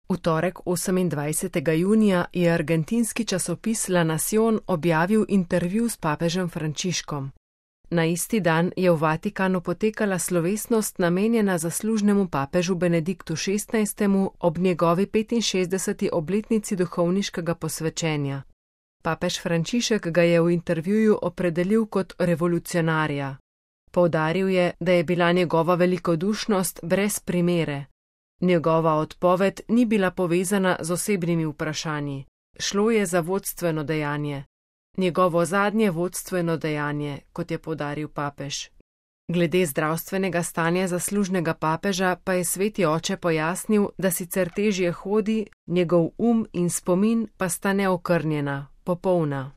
V torek 28. junija je argentinski časopis La Nación objavil intervju s papežem Frančiškom. Na isti dan je v Vatikanu potekala slovesnost namenjena zaslužnemu papežu Benediktu XVI. Ob njegovi 65. obletnici duhovniškega posvečenja. Papež Frančišek ga je v intervjuju opredelil kot revolucionarja. Poudaril je, da je bila njegova velikodušnost brez primere. Njegova odpoved ni bila povezana z osebnimi vprašanji. Šlo je za vodstveno dejanje. Njegovo zadnje vodstveno dejanje, kot je poudaril papež. Glede zdravstvenega stanja zaslužnega papeža pa je sveti oče pojasnil, da sicer težje hodi, njegov in spomin pa sta neokrnjena, popolna.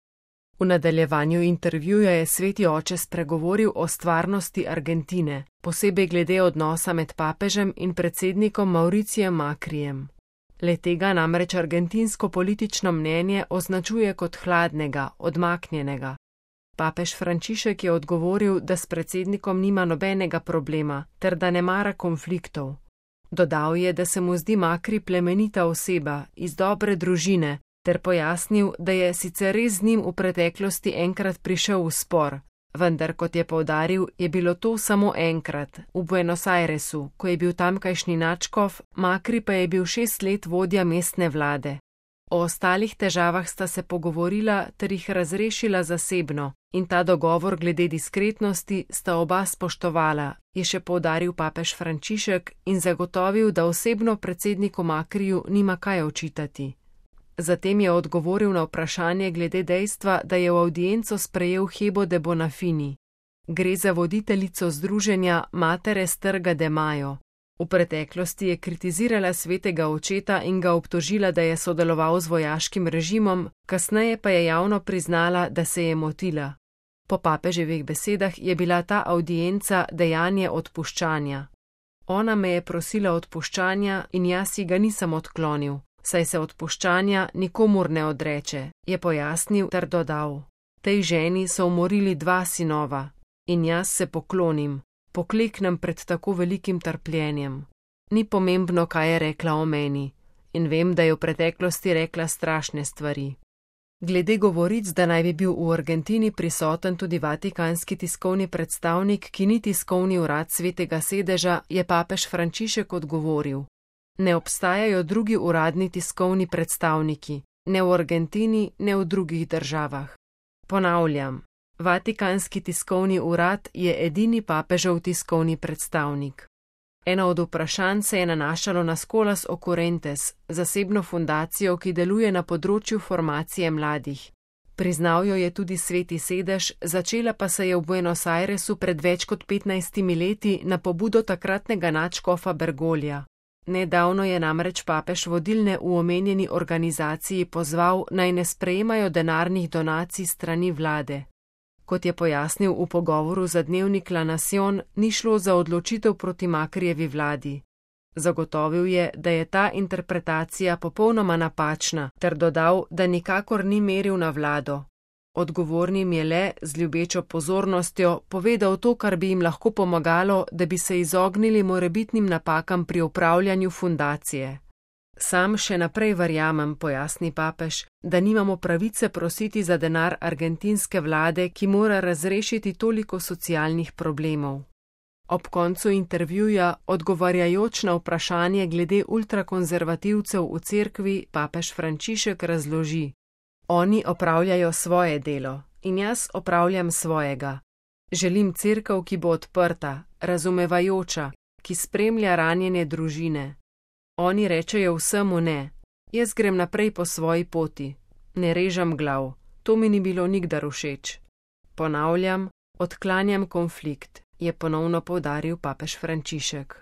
V nadaljevanju intervjuja je sveti oče spregovoril o stvarnosti Argentine, posebej glede odnosa med papežem in predsednikom Mauricijem Macrijem. Le-tega namreč argentinsko politično mnenje označuje kot hladnega, odmaknjenega. Papež Frančišek je odgovoril, da s predsednikom nima nobenega problema, ter da ne mara konfliktov. Dodal je, da se mu zdi Macri plemenita oseba, iz dobre družine, ter pojasnil, da je sicer res z njim v preteklosti enkrat prišel v spor, vendar, kot je poudaril, je bilo to samo enkrat, v Buenos Airesu, ko je bil tamkajšnji nadškof, Macri pa je bil 6 let vodja mestne vlade. O ostalih težavah sta se pogovorila ter jih razrešila zasebno in ta dogovor glede diskretnosti sta oba spoštovala, je še poudaril papež Frančišek in zagotovil, da osebno predsedniku Macriju nima kaj očitati. Zatem je odgovoril na vprašanje glede dejstva, da je v avdienco sprejel Hebo de Bonafini. Gre za voditeljico združenja Matere Strga de Mayo. V preteklosti je kritizirala svetega očeta in ga obtožila, da je sodeloval z vojaškim režimom, kasneje pa je javno priznala, da se je motila. Po papeževih besedah je bila ta avdienca dejanje odpuščanja. Ona me je prosila odpuščanja in jaz ji ga nisem odklonil, saj se odpuščanja nikomur ne odreče, je pojasnil ter dodal. Tej ženi so umorili 2 sinova in jaz se poklonim, pokleknem pred tako velikim trpljenjem. Ni pomembno, kaj je rekla o meni, in vem, da je v preteklosti rekla strašne stvari. Glede govoric, da naj bi bil v Argentini prisoten tudi vatikanski tiskovni predstavnik, ki ni tiskovni urad Svetega sedeža, je papež Frančišek odgovoril. Ne obstajajo drugi uradni tiskovni predstavniki, ne v Argentini, ne v drugih državah. Ponavljam, Vatikanski tiskovni urad je edini papežev tiskovni predstavnik. Eno od vprašanj se je nanašalo na Scholas Occurrentes, zasebno fundacijo, ki deluje na področju formacije mladih. Priznal jo je tudi Sveti sedež, začela pa se je v Buenos Airesu pred več kot 15 leti na pobudo takratnega nadškofa Bergoglja. Nedavno je namreč papež vodilne v omenjeni organizaciji pozval, naj ne sprejemajo denarnih donacij strani vlade. Kot je pojasnil v pogovoru za dnevnik La Nación, ni šlo za odločitev proti Macrijevi vladi. Zagotovil je, da je ta interpretacija popolnoma napačna, ter dodal, da nikakor ni meril na vlado. Odgovornim je le, z ljubečo pozornostjo, povedal to, kar bi jim lahko pomagalo, da bi se izognili morebitnim napakam pri upravljanju fundacije. Sam še naprej verjamem, pojasni papež, da nimamo pravice prositi za denar argentinske vlade, ki mora razrešiti toliko socialnih problemov. Ob koncu intervjuja, odgovarjajoč na vprašanje glede ultrakonzervativcev v cerkvi, papež Frančišek razloži. Oni opravljajo svoje delo in jaz opravljam svojega. Želim cerkev, ki bo odprta, razumevajoča, ki spremlja ranjene družine. Oni rečejo vsemu ne, jaz grem naprej po svoji poti, ne režem glav, to mi ni bilo nikdar všeč. Ponavljam, odklanjam konflikt, je ponovno poudaril papež Frančišek.